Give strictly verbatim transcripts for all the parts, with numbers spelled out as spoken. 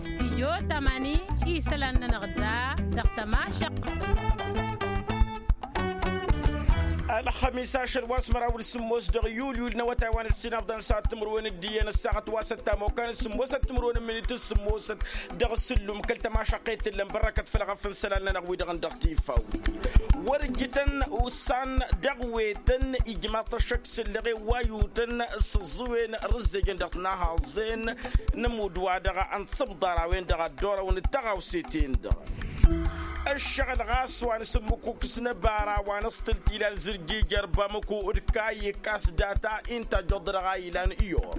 Stijyo tamani isălan-nănăɣ da dăɣ-tămašăq. Ălxămis ašăl wa s-măraw d-sǝmmos dăɣ-yulyul n-awătay wa n-ǝssin afḍăn s-ad-timǝrwen d-iyyăn ăssaɣăt wa s-ăttam okan s-sǝmmosăt timǝrwen n-minit s-sǝmmosăt dăɣ-sǝllum kăl-tămašăqqet tǝllăm bărrăkăt făll-ɣăf n-isălan-nănăɣ wi-dăɣ n-dăɣ tifaw. Wăr ǝjjǝtăn ussan dăɣ-wetăn ijmaḍ-t ăššăk s-ǝllăɣe wa yutăn s-ǝẓẓǝwen rǝzzejăn dăɣ-tinahaẓen n-ămudd wa dăɣ-ănṭăbḍar a-wen-dăɣ a dd-orăwăn d-taɣawse-ten-dăɣ. Ăššăɣǝl ɣas wa n-asǝmmǝkuk s-inăbara wa n-aẓtǝl tilal zǝrjijăr bamăku d-kayy ǝkkas data-i n-tajjăḍ dăɣ-a ilan iyor.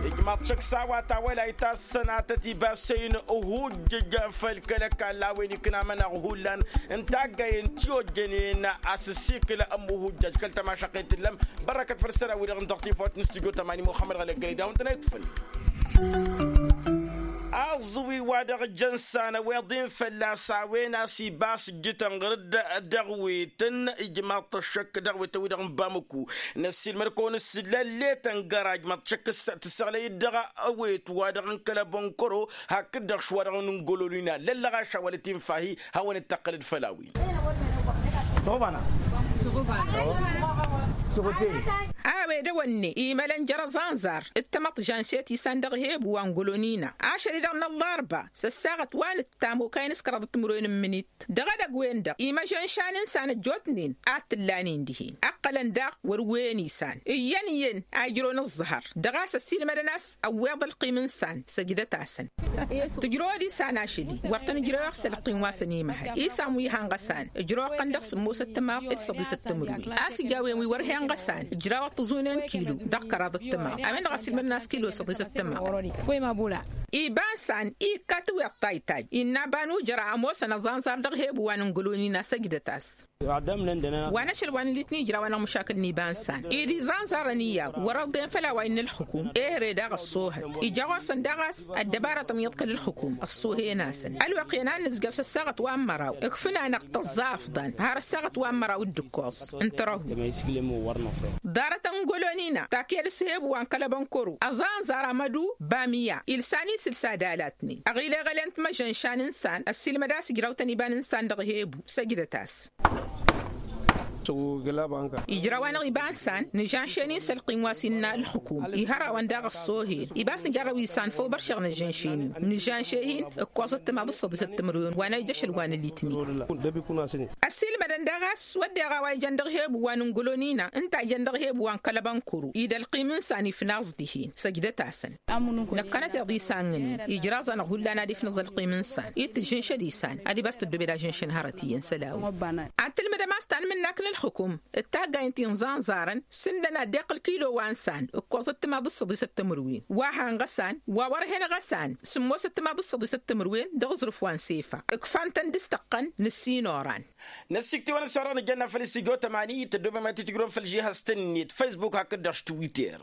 Ijmaḍ-t šăkk s-a-wa tawălayt a ăssănatăt ibas săy-in ăhujjǝj făll-kăl-ăkall a-wen ikna amănaɣ hullan n-taggayen ti ojjănen a-s ǝssikǝl ămmuhujjaj kăl-tămašăqqet tǝllăm. Bărrăkăt făll-isălan-wi-dăɣ n-dăɣ tifawt n-studyo tămani muxămmăd ɣălăggălăy d-a-wen tăn-a itfǝn. Aẓwi wa dăɣ-jăn s-anăweḍ-in fălla-s a-wen a-s ibas ǝjjǝtăn ɣǝr-dd dăɣ-wetăn ijmaḍ-t ăššăk dăɣ-wetăn-wi-dăɣ n-bamăku. Năssiilmăd-kăwăn s-lălletăn găraj măḍšăk s-tǝssăɣlăy-dd dăɣ-awet wa dăɣ-n kăl-abănkăro hakd-dăɣ šwa dăɣ-n ǝngololina lăllăɣaš a wălăt-infa-hi. Hawăn-dd-tăqqǝlăd făll-a-wen. A-wen dăɣ-wănne imălăn jer-aẓanẓar d-tamăḍt žănšet isan dăɣ-hebu wa n-golonina ašăl-i-dăɣ n-ăllarba s-ăssaɣăt wa n-ǝttam okayăn s-kăraḍăt timǝrwen n-imǝnit. Dăɣ-edăgg-wen-dăɣ imăžănšanăn s-anăjjootnen ad-t-ǝllanen dihen ǝqqălăn daɣ wăr-wen isan iyyăn iyyăn a ijrăwăn ǝẓẓăhăr dăɣ-a-s ăssiilmădăn a-s ăwweḍ ălqim n-isan săjdăt-asăn. Tǝjrăwăd isan ašăl-i wăr tăn-ǝjrăweɣ s-ălqim wa s-ănimăhăl isan wi henɣăsan ǝjrăwăɣ-tăn dăɣ-sǝmmosăt timaḍ d-săḍisăt timǝrwen a-s ija a-wen wi wăr henɣăsan ǝjrawăɣ-t ăẓunen kilo dăɣ-kăraḍăt timaḍ a-wen-dăɣ ăssiilmădăn a-s kilo săḍisăt timaḍ. Iba n-isan ikka tiweḍ taytay innă aba n-ujăra ămoosăn aẓanẓar dăɣ-hebu wa n-ǝngălon-in a-s ăjdăt-as. Wa n-ašăl wa n-litni ijraw-anăɣ măšakǝl n-iba n-isan ed iẓanẓarăn iyyăḍ wăr-ăḍḍen făll-a-wa innă ălxǝkum ehre daɣ ăṣṣoohăt. Ija ɣur-săn daɣ a-s ăddăbarăt ămyăḍkăl ǝlxǝkum ăṣṣoohen-asăn ălwăqq-en a n-nǝzjăr s-ăssaɣăt wa n-măraw ǝkfǝn-anăɣ tăẓẓa afḍăn har ăssaɣăt wa n-măraw d-ǝkkoẓ n-tărăhu. Ḍarăt n-golonina taked s-hebu wa n-kăl-abănkăru ăẓanẓar amădu bamiya ilsan-i sǝlsa d-alatnen ăɣileɣălen timăžănšan n-isan ăssiilmăd a-s ǝjraw-tăn iba n-insan dăɣ-hebu săjdăt-as. Ijraw-anăɣ iba n-isan nǝžănšen-in s-ălqim wa s-innă ǝlxǝkum ihărawăn daɣ ăṣṣoohen iba a-s nǝjarrăw isan făw băršeɣ nǝžănšen-in nǝžănše-hin ǝkkoẓăt timaḍ d-săḍisăt timǝrwen wa n-ija ašăl wa n-alitni. Ăssiilmădăn daɣ a-s wădden a-wa ijăn dăɣ-hebu wa n-ǝngălon-ină ǝnta a ijăn dăɣ-hebu wa n-kăl-abănkăru ed ălqim n-isan ifnaẓ dihen săjdăt-asăn. Năkkănăteḍ isan-nănen ijraẓ-anăɣ hullan ad-ifnăẓ ălqim n-isan ed tǝžžǝnšăd isan ad-ibas tăddobed ažǝnšăn hărăt iyyăn isălan-wi. Ad-tǝlmǝdăm a-s tanmǝnnakt n-ǝlxǝkum d-taggayen ti n-iẓanẓarăn sǝndăn ad-dd-iqqǝl kilo wa n-isan ǝkkoẓăt timaḍ d-săḍisăt timǝrwen wa hanɣăsan wa wăr-henɣăsan sǝmmosăt timaḍ d-săḍisăt timǝrwen dăɣ-aẓrǝf wa n-sefa ǝkfan-tăn dăɣ-s tăqqăn nǝssin oran. Năssikt'-iwăn s-orăɣ nǝjănna făll-istudyo tămani tăddobem ad-t-tǝjrǝwăm făll-žihaz-tăn-net facebook hakd-dăɣ s-twitter.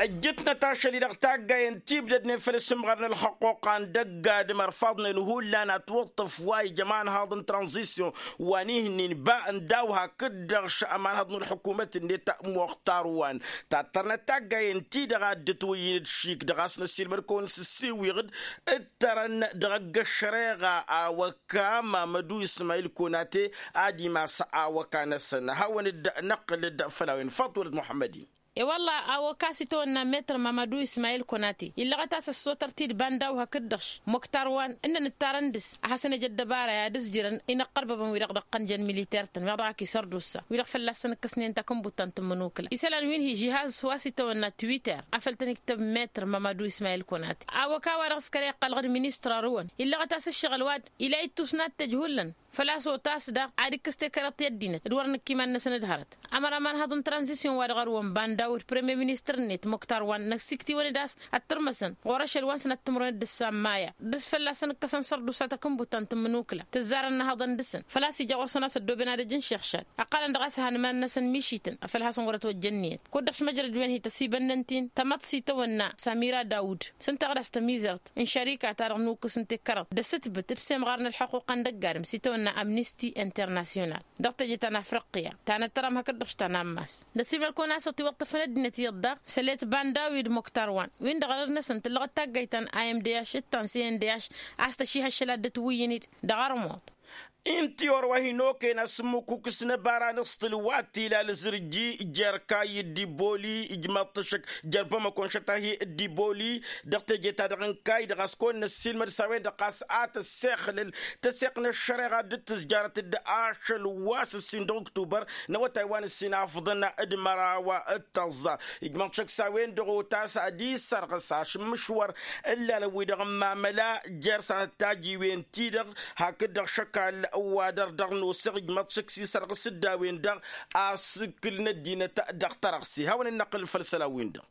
Ăjjǝtnăt ašăl-i-dăɣ taggayen tibdădnen făll-asǝmɣar n-ălxăqquqa n-dăgg-adǝm ărfaḍnen hullan ătwǝṭṭǝf wa ija ămanhaḍ n-tranzisyon wa n-ihǝnnin ba n-daw hakd-dăɣ ămanhaḍ n-ălxukumăt-net muxtar wa n-tattărnăt taggayen-ti-dăɣ a dd-ǝtwǝyyǝn d-šik dăɣ-a-s năssiilmăd-kăwăn s-ǝssiwwiɣ-dd ǝttărăn dăɣ-ăgg-ăššăreɣa a-wa kăma mădu ismayil konate ad-imas awăka-năsăn hawăn-dd-năqqǝl-dd făll-a-wen faḍt wălăt muḥămmăd-in. E-wălla awăka a-s itawănna metr mamădu ismayil konate illăɣăt a-s ăssotăr tidba n-daw hakd-dăɣ-š muktar wa n-ǝnnăn ǝttarăn dăɣ-s ad-hasăn-ăj ăddăbara i-ad-ǝzjǝrăn inăqqărbăbăn wi-dăɣ dăɣ-tăn jăn militer-tăn meɣ dăɣ-ak isărdusa wi-dăɣ fălla-săn ǝkkăsnen takǝnbut ta n-tǝmmǝnukǝla isălan wi n-hi žihaz wa s-itawănna twitter afăl tăn-iktăb metr mamădu ismayil konate. Awăka-wa-dăɣ s-kăla iqqălăɣ d-ministăr arǝwăn illăɣăt a-s ǝššăɣǝl wa d-ila ittus n-ad-t-ăj hullan făl-a-s otas daɣ ad-ikkǝs tekăreḍt i-ăddinăt d-wăr nǝkk iman-năsăn d-hărăt. Ămăraman haḍăn tranzisyon wa dăɣ-arǝwăn bandawăd premier ministăr-net muktar wa n-năksiktǝwăn-dd a-s ăttărmăsăn ɣur-ašăl wa n-sănat timǝrwen d-ǝssan maya dăr-s fălla-săn ǝkkăsăn sărdusa takǝnbut ta n-tǝmmǝnukǝla tǝzzarăn n-ahăḍăn dăɣ-săn făl-a-s ija ɣur-săn a-s ăddooben ad-ăj n-šixšad. Ăqqălăn dăɣ-a-s ăhanmăn-năsăn mišităn afăl hasăn-wăr-ătwăjja ǝnniyăt kud-dăɣ šmăjrăd wen hi-tăsibănnăn-t-in tamăḍt s-itawănna samira dawud s-ǝnta dăɣ-s tămizărt n-šărika-ta-dăɣ n-ukǝs n-tekkărăḍt d-asǝtbǝt d-semɣar n-ălḥuqquqa n-dăgg-adǝm s-itawănna. n-amnisti internasyonal dăɣ-teje ta n-afriqya ta n-ăttăram hakd-dăɣ s-ta n-ammas. D-ăsimăl-kăwăn a-s ătiwăṭṭăfăn ăddinăt iyyăḍ daɣ s-ălet banda wi d-muktar wa n-win-dăɣ ărăd-năsăn tǝllăɣăt taggayt ta n-imdh d-ta n-cndh a-s tăšihăššăl ad-dd-ătwǝyyǝn-dd dăɣ-armuḍ. Inti orwa hin-okăyăn asǝmmukukǝs n-ăbara n-aṣṭǝl wa t-ila ălzǝrji jer-kayy d-iboli ijmăḍ-t ăššăk jer-bamăko n-šătahi d-iboli dăɣ-teje-ta-dăɣ n-kayy-dăɣ a-s kăwăn-năssiilmăd s-a-wen-dăɣ ɣas a tăssexlăl tăseɣt n-ăššăreɣa dd-tǝzjarăt d-ašăl wa s-ǝssin dăɣ-uktubăr n-awătay wa n-ǝssin afḍăn d-măraw d-tăẓẓa. Ijmăḍ-t šăkk s-a-wen-dăɣ otas ad-isărɣǝs ašǝmmǝš wăr ǝllalăn-wi-dăɣ n-mamăla jer-sanăt tajiwen-ti-dăɣ hakd-dăɣ šăkal wa dăr-dăr nosăɣ ijmăḍ-t šăkk s-isărɣǝs-dd a-wen-dăɣ asǝkkǝl n-ăddinăt dăɣ-tărăɣse hawăn-in-năqqǝl făll-isălan-win-dăɣ.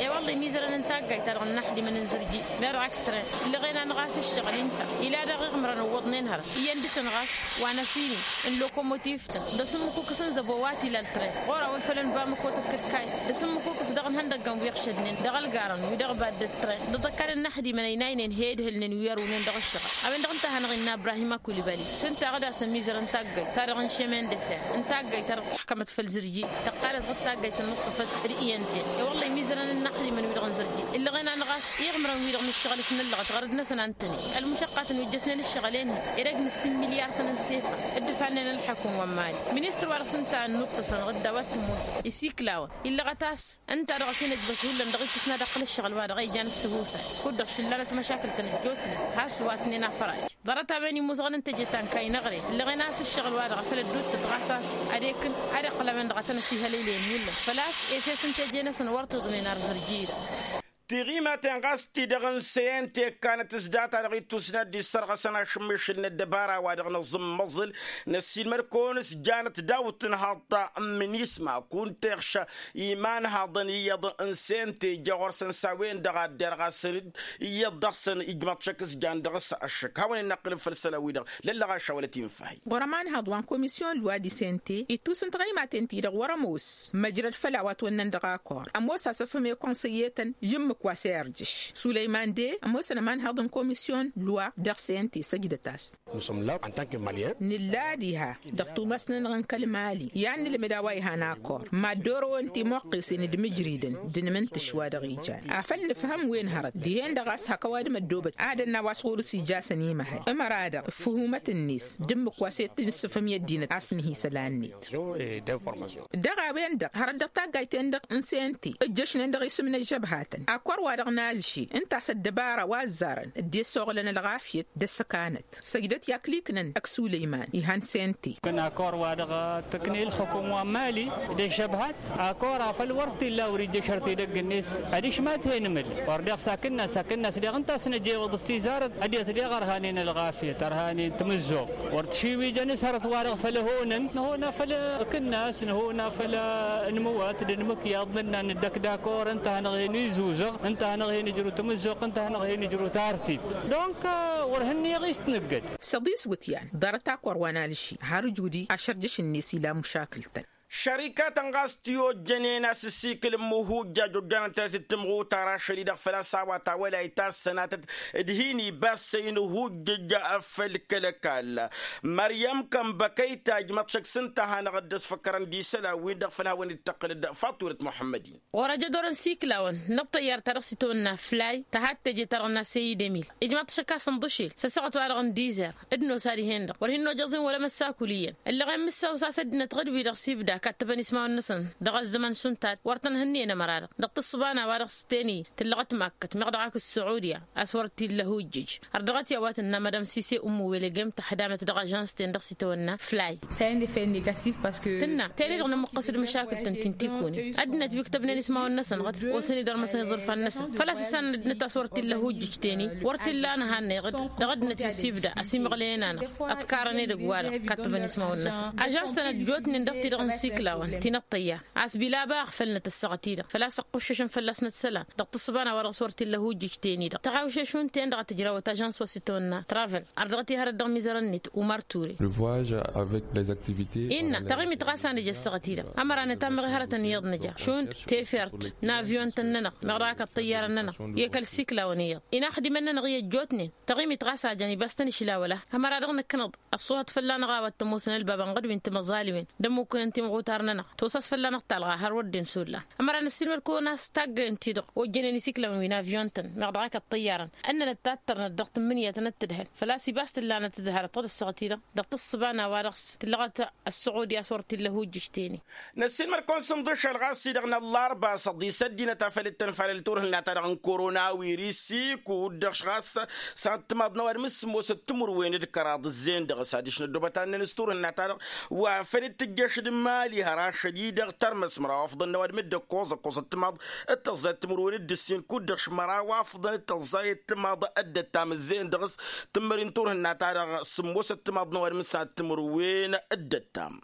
I-wălla imizărăn n-taggayt-ta-dăɣ n-inaxdimăn n-zǝrji meɣ dăɣ-ak tren ǝllăɣen-anăɣ a-s ǝššăɣǝl-i ǝnta ila daɣ iɣmărăn ǝwwăḍnen hărăt iyyăn dăɣ-săn ɣas wa n-asini n-lokomotiv-tăn d-asǝmmǝkukǝs n-zăbo wa t-ila ăltren ɣur-a-wen făll-ănbamăko tǝkkǝd kayy d-asǝmmǝkukǝs dăɣ-inhăndăggăn wi ǝɣšădnen dăɣ-ălgarăn wi-dăɣ badd ăltren d-aḍăkkan n-inaxdimăn ăynaynen he-ǝdhǝlnen wi ărwǝwnen dăɣ-ăššăɣăl. A-wen-dăɣ ǝnta a hanăɣ-innă ibrahim akulibali s-ǝnta a ɣǝd-asăn mizărăn taggayt-ta-dăɣ n-šemen d-efer n-taggayt-ta-dăɣ tǝḥkămăt făll-zǝrji tăqqalăt ɣǝd taggayt n-inǝṭṭăfăt d-iyyăn-ten. I-wălla imizărăn n-inaxdimăn-wi-dăɣ n-zǝrji ǝllăɣen-anăɣ a-s iɣmărăn-wi-dăɣ n-ǝššăɣǝl s-nǝllăɣăt ɣărăd-năsăn a n-tăn-in ălmušăqqatăn wi ǝjjăsnen ǝššăɣǝl-en hi-edăgg n-ǝssin milyar-tăn n-sefa dd-ǝfannen ălḥăkum wa n-mali. Ministăr wa dăɣ-s ǝnta a ănnuṭṭăfăn ɣǝdda wa t-ămoosăn isiklawăn illăɣăt a-s ǝnta-dăɣ a-s hin-ǝjbăs hullan dăɣ-ittǝsna dăɣ-kăl-ǝššăɣǝl-wa-dăɣ a ijan s-tihusay kud-dăɣ šǝllanăt măšakǝl-tăn ăjjootnen has-wa ǝtnen afăraj. Ḍarăt-a-wen imuzăɣăn n-teje ta n-kayy n-aɣre ǝllăɣen a-s ǝššăɣǝl-wa-dăɣ a făl ădduuttăt ɣas a-s ad-ekǝn ad-iqqǝl a-wen-dăɣ a tăn-ăsihălăylen hullan făl-a-s efes n-teje-năsăn wăr tiḍmen ar zǝrji-dăɣ. Tiɣimaten ɣas ti-dăɣ n-sente kanăt s-data-dăɣ ittusna dd-issărɣăsăn ašǝmmišǝl n-ăddăbara wa dăɣ-nǝẓǝmmăẓǝl năssiilmăd-kăwăn s-janăt daw-tǝnhaḍt ta n-minisma kunta iɣša imanhaḍăn iyyăḍ n-sente ija ɣur-săn s-a-wen-dăɣ a dd-irɣasăn-dd iyyăḍ dăɣ-săn ijmăḍ šăkk s-jan dăɣ-s ašăk hawăn-in-năqqǝlǝm făll-isălan-wi-dăɣ lăllăɣaša wăla timǝffahi. Ɣur-ămanhăḍ wa n-komisyon lwa di sente ittus n-tiɣăymaten ti-dăɣ wăr-ămoos măjrăd făll-a-wa ătwănnăn dăɣ-akor ămoos asăfhǝm i-konsăyyetăn i-ǝmmǝk wa s-e-irjǝš sulăyman de ămoosăn ămanhăḍ n-komisyon lwa dăɣ-sente săjdăt-as. Nǝlla diha dăɣ-tumas-nănăɣ n-kăl-mali i-ad-nǝlmǝd a-wa ihan akor mad-orăwăn timuqqesen d-imǝjridăn d-inmǝntǝš wa dăɣ-ijan afăl nǝfhăm wen hărăt dihen-dăɣ a-s hak ăwadǝm ăddoobăt ad-ănn a-wa s-ɣur-s ija a-s ănimăhăl ămăra-dăɣ ǝffǝhumăt-net d-ǝmmǝk wa s-e-t-nǝssǝfhǝm i-ăddinăt a-s nǝhi isălan-net. Dăɣ-a-wen-dăɣ hărăt dăɣ-taggayt-en-dăɣ n-sente ǝjjăšnen dăɣ-isǝm n-ăžžăbhatăn akor wa dăɣ-nalši ǝnta a-s ăddăbara wa ăzzarăn dd-e-ăssoɣlăn ălɣafyăt d-ăssăkanăt săjdăt i-akliknăn ăkk sulăyman ihan sente. Kănakor wa dăɣ-tǝkne ǝlxǝkum wa n-mali d-ăžžăbhat akor afăl wăr t-illa wăr-ijjăš ărt edăgg-net adiš ma t-he-nǝmǝl wăr deɣ s-akǝnnas akǝnnas deɣ ǝnta a-s năjewăḍ s-tizarăt ăddinăt deɣ ărhanen ălɣafyăt ărhanen tamǝzzuɣt wăr t-šiwijăn s-hărăt-wa-dăɣ făll-ăhonăn năhon a făll-akǝnnas năhon a făll-anǝmǝwat d-anǝmǝkyaḍ nǝnna nǝddăk dakor ǝnta a hanăɣ-hin-izuzăɣ ǝnta a hanăɣ-hin-ijru tamǝzzuɣt ǝnta a hanăɣ-hin-ijru tartit. Donc wăr hǝnneɣ i-s t-nǝggăd. Săḍis wǝtyan ḍarăt akor wa n-alǝši har ǝjudi ašărjăš-net ila mušakǝl-tăn. Šărikatăn ɣas ti-ojjănen a-s ǝssikǝl n-imǝhujjaj ojjanăn-tănăt d-tǝmɣutar ašăl-i-dăɣ făl-a-s a-wa tawălayt a ăssănatăt d-hin-ibassăy n-ihujjǝj făll-kăl-ăkall. Măryăm kănbăkăy tajmăḍ šăkk s-ǝnta a hanăɣ-dd-ăsfăkkărăn d-isălan-win-dăɣ făl hawăn-dd-tăqqǝl d-faṭulăt muḥămmăd-in. Ɣur-ăjădor n-siklawăn n-ăṭṭăyyar-ta-dăɣ s-itawănna flay tăhat teje-ta-dăɣ n-asăy idemil ijmaḍ-t šăkk a-s ǝnḍǝšel s-ăssaɣăt-wa-dăɣ n-dizer d-nosa dihen-dăɣ wăr hin-nojăẓ-in wăla măssakul iyyăn ǝllăɣen mǝssaw s-a-s ăddinăt ɣǝd-wi-dăɣ s-ibda kattăbăn ismawăn-năsăn dăɣ-ăzzăman šund tad wăr tăn-hǝnniyăn ămăra-dăɣ dăɣ-tǝssǝba n-a-wa dăɣ-s teni tǝllăɣăt makkăt meɣ dăɣ-ak ăssuɣudya a-s wăr t-illa hujjǝj. Ărdăɣăt i-a-wa tǝnna madam sise ummu wele gem tăḥdamet dăɣ-ažans-ten dăɣ-s itawănna flay. Tǝnna teni-dăɣ nămuqqăs d-măšakǝl-tăn ti n-tikunen ăddinăt wi ǝktăbnen ismawăn-năsăn ɣǝd osăn-dd ărmăsăn iẓǝrfan-năsăn făl-a-s ǝssanăn ăddinăt a-s wăr t-illa hujjǝj teni wăr t-illa a nǝhannăy ɣǝd dăɣ-ăddinăt wi s-ibda ăsimăɣlăyăn-anăɣ ăḍkarăn edăgg-wa-dăɣ kattăbăn ismawăn-năsăn ažans-tăn ăjjootnen dăɣ-ti-dăɣ. Siklawăn ti n-ăṭṭăyya a-s bilaba ăɣfălnăt ăssaɣăt-i-dăɣ făl-a-s ăqquššăšăn fălla-s n-ăssălan dăɣ-tǝssǝba n-a-wa-dăɣ s-wăr t-illa ăhujjǝj-ten-i-dăɣ tăɣawšeš wi n-ten-dăɣ a tǝjrawăt ažans wa s-itawănna travel. Ărdăɣăt i-hărăt dăɣ-mizărăn-net umar ture. Innă taɣimit ɣas a nǝja ăssaɣăt-i-dăɣ ămăra nǝtammăɣ i-hărătăn iyyăḍ nǝja šund tefert n-avyun-tăn-nănăɣ meɣ dăɣ-ak ăṭṭăyyarăn-nănăɣ i-kăl-siklawăn iyyăḍ inaxdimăn-nănăɣ i-ăjjootnen. Taɣimit ɣas a jan ibas-tăn išlawăla ămăra dăɣ-năkkănăḍ ăṣṣuhăt fălla-năɣ a-wa t-ămoosăn ălbab ănɣăd wi n-timăẓaliwen d-ămmukǝnăn timɣutar-nănăɣ tosa a-s fălla-năɣ talɣa har wăr dd-insulla. Ămăra n-ăssiilmăd-kăwăn a-s taggăyăn-ti-dăɣ ojjănen isiklawăn wi n-avyun-tăn meɣ dăɣ-ak ăṭṭăyyarăn ănnănăt tattărnăt dăɣ-tǝmmǝnǝya tăn-ăttǝdhăn făl-a-s ibas tǝllanăt d-hărăt tăḍǝssăɣăt-i-dăɣ dăɣ-tǝssǝba n-a-wa-dăɣ s-tǝllăɣăt ăssuɣud i-a-s wăr t-illa ăhujjǝj-ten-i. Năssiilmăd-kăwăn s-inḍǝšăl ɣas-i-dăɣ n-ăllarba s-ăḍḍisăt dinăt a făl dd-tăn-falăl turhǝnna-ta-dăɣ n-korona wirisi kud-dăɣ ɣas s-ad-timaḍ n-ăwadǝm s-sǝmmosăt timǝrwen d-kăraḍ ǝzzeyăn dăɣ-s adiš n-ăddoobăt ad-năn s-turhǝnna-ta-dăɣ wa făl dd-tǝjjăš d-imali har ašăl-i-dăɣ tărmăs măraw afḍăn n-ăwadǝm d-ăkkoẓ ăkkoẓăt timaḍ d-tăẓẓayăt timǝrwen d-ǝssin kud-dăɣ măraw afḍăn d-tăẓẓayăt timaḍ d-ăttam ǝzzeyăn dăɣ-s. Tǝmmări n-turhǝnna-ta-dăɣ sǝmmosăt timaḍ n-ăwadǝm s-ad-timǝrwen d-ăttam.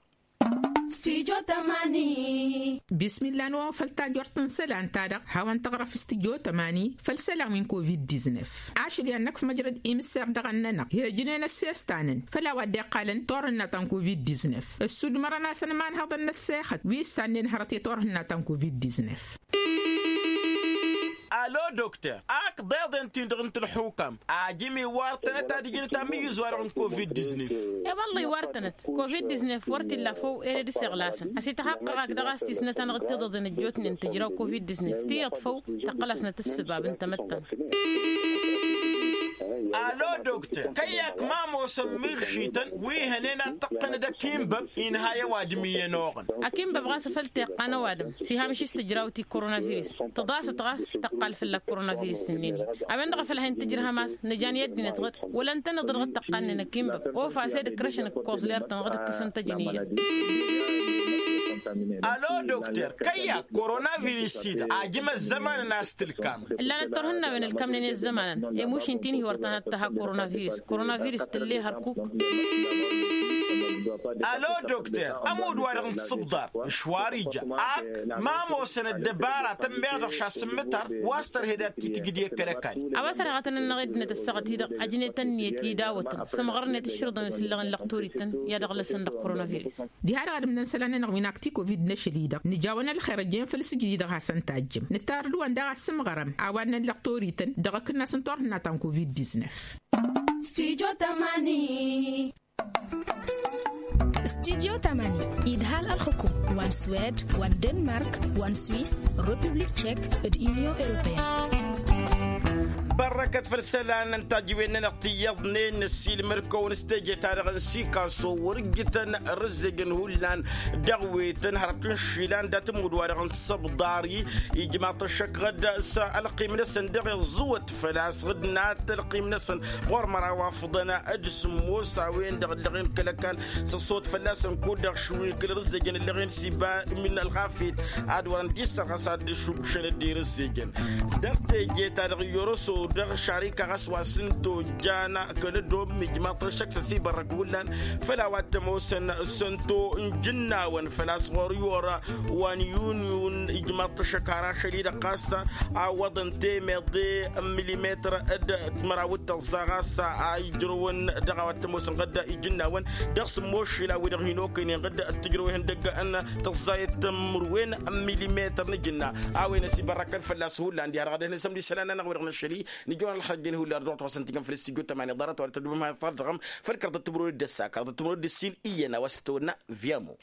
Bismilla n-wăwăn făll-tajort n-isălan-ta-dăɣ hawăn-tăɣrăf s-tijot ămani făll-isălan wi n-covid-diznef. Ašăl i-ad-năkf măjrăd imǝsser dăɣ-ănnănăɣ i-ăjnen ăssestan-năn făll-a-wa dd-iqqalăn turhǝnna ta n-covid-diznef ǝssudmărăn-asăn imanhăḍăn n-ăssexăt wi ǝssannen hărăt i-turhǝnna ta n-covid-diznef. Alo dokter ak ḍeḍen-tin-dăɣ n-tǝlxukam ajǝm iwar-tănăt ad-ǝjǝnăt amǝyyǝz-wa-dăɣ n-covid-diznef. E-wălla iwar-tănăt covid-diznef wăr t-illa făw ere d-iseɣlasăn ăsităxaqqăɣ-ak dăɣ-a-s tisnăt-anăɣ d-tiḍăḍen ăjjootnen tǝjraw covid-diznef tiyyăḍ făw. Tăqqăl-asnăt ǝssǝbab n-tamăttant. Alo dokter kăyy-ak ma ămoosăn miɣšităn wi hănen ad-tăqqǝnăd ăkinbăb inha i-ăwadǝm iyyăn oɣăn. Ăkinbăb ɣas a făl t-iqqan ăwadǝm s-iha măšis tǝjraw ti koronavirus tǝḍasăt ɣas tăqqal fălla-k koronavirus ǝnnin-i. A-wen-dăɣ a făl ha-in-tǝjrǝhăm a-s nǝjan i-ăddinăt ɣǝd wăla ǝntăneḍ dăɣ-tăqqalnen ăkinbăb ofa s-ed ǝkrăšăn ǝkkoẓ ler-tăn ɣǝd ǝkkǝsăn tăjniyen. Alo dokter kăyy-ak koronavirus-i-dăɣ ajǝm ăzzămanăn a-s tǝlkam. Ǝllanăt turhǝnnawen ǝlkamnen i-ăzzămanăn i-mušin ti n-hi-wăr tănhăt tăha koronavirus koronavirus tǝlle hărkuk. Alo dokter ămudd-wa-dăɣ n-tisǝbḍar ǝšwar ija ak ma ămoosăn ăddăbaratăn meɣ dăɣ-šasǝmmǝtar wa s-tărhed ad-t-tǝjǝd i-kăl-ăkall. A-wa s-ărheɣătăn-nănăɣ i-ăddinăt ăssaɣăt-i-dăɣ ăjnet ănniyăt i-dawătăn sămɣărnet ǝššǝrǝḍăn wi s-ǝllăɣen lăqtorităn i-ad-ăɣlăsăn dăɣ-koronavirus. Diha-dăɣ ad-ǝmnăn isălan-nănăɣ wi n-akti covid n-ašăl-i-dăɣ nǝja-wăn ălxer ăjjeen făll-sǝjdǝd dăɣ-hasăn-tajjǝm nǝttar d-wăn daɣ ad-sǝmɣărăm a-wa ǝnnăn lăqtorităn dăɣ-akǝnnas n-turhǝnna ta n-covid-diznef. Studio tamani. Studio tamani idha-l ălxukum wa n-swed wa n-denmark wa n-swis, republik tšek d-inyon europeyăn. Bărrăkăt făll-isălan n-tajǝwen-nănăɣ tiyyăḍnen năssiilmăd-kăwăn s-teje-ta-dăɣ n-sikaso wăr-ǝjjǝtăn rǝzzejăn hullan dăɣ-wetăn hărăt n-išilan dat-ămudd-wa-dăɣ n-tisăbḍari. Ijmaḍ-t ăššăk ɣǝd s-ălqim-năsăn dăɣ-iẓẓǝwăt făl-a-s ɣǝd n-ad-t-ălqim-năsăn ɣur-măraw afḍăn d-sǝmmos a-wen-dăɣ ǝllăɣen kăl-ăkall s-ăṣṣăwăt fălla-săn kud-dăɣ šwin kăl-rǝzzejăn ǝllăɣen s-iba min ălɣafyăt ad-wărăn d-issărɣăs ad-dd-šubbšăn dd-irǝzzejăn. Dăɣ-teje-ta-dăɣ i-orăso dăɣ-šarika ɣas wa s-ǝnta ojjan kăl-ădom ijmaḍ-t ăššăk s-ăsibărrăk hullan făll-a-wa t-ămoosăn s-ǝnta ojjǝnnawăn făl-a-s ɣur-iwor wa n-yun-yun ijmaḍ-t ăššăk har ašăl-i-dăɣ ɣas awwăḍăn temeḍe n-milimetăr d-timăraw d-tăẓẓa ɣas a ijrăwăn dăɣ-a-wa t-ămoosăn ɣǝd ijǝnnawăn dăɣ-sǝmmos šila wi-dăɣ hin-okăynen ɣǝd d-tǝjrăw ihăndăg n-tăẓẓayăt n-mărwen n-milimetăr n-ajǝnna. A-wen ăsibărrăkăn fălla-s hullan diha-dăɣ ad-ăhnăsăm d-isălan-nănăɣ wi-dăɣ n-ašăl-i nǝjăwăn ălxărjăn hullan d-ḍuɣ-t wa s-ǝntijăn făll-s tijot tămani ḍarăt wa d-tădubăm har tărdăɣăm făll-kăraḍăt timǝrwen d-ăssa kăraḍăt timǝrwen d-ǝssin iyyăn a-wa s-tăwănna. Viyamo.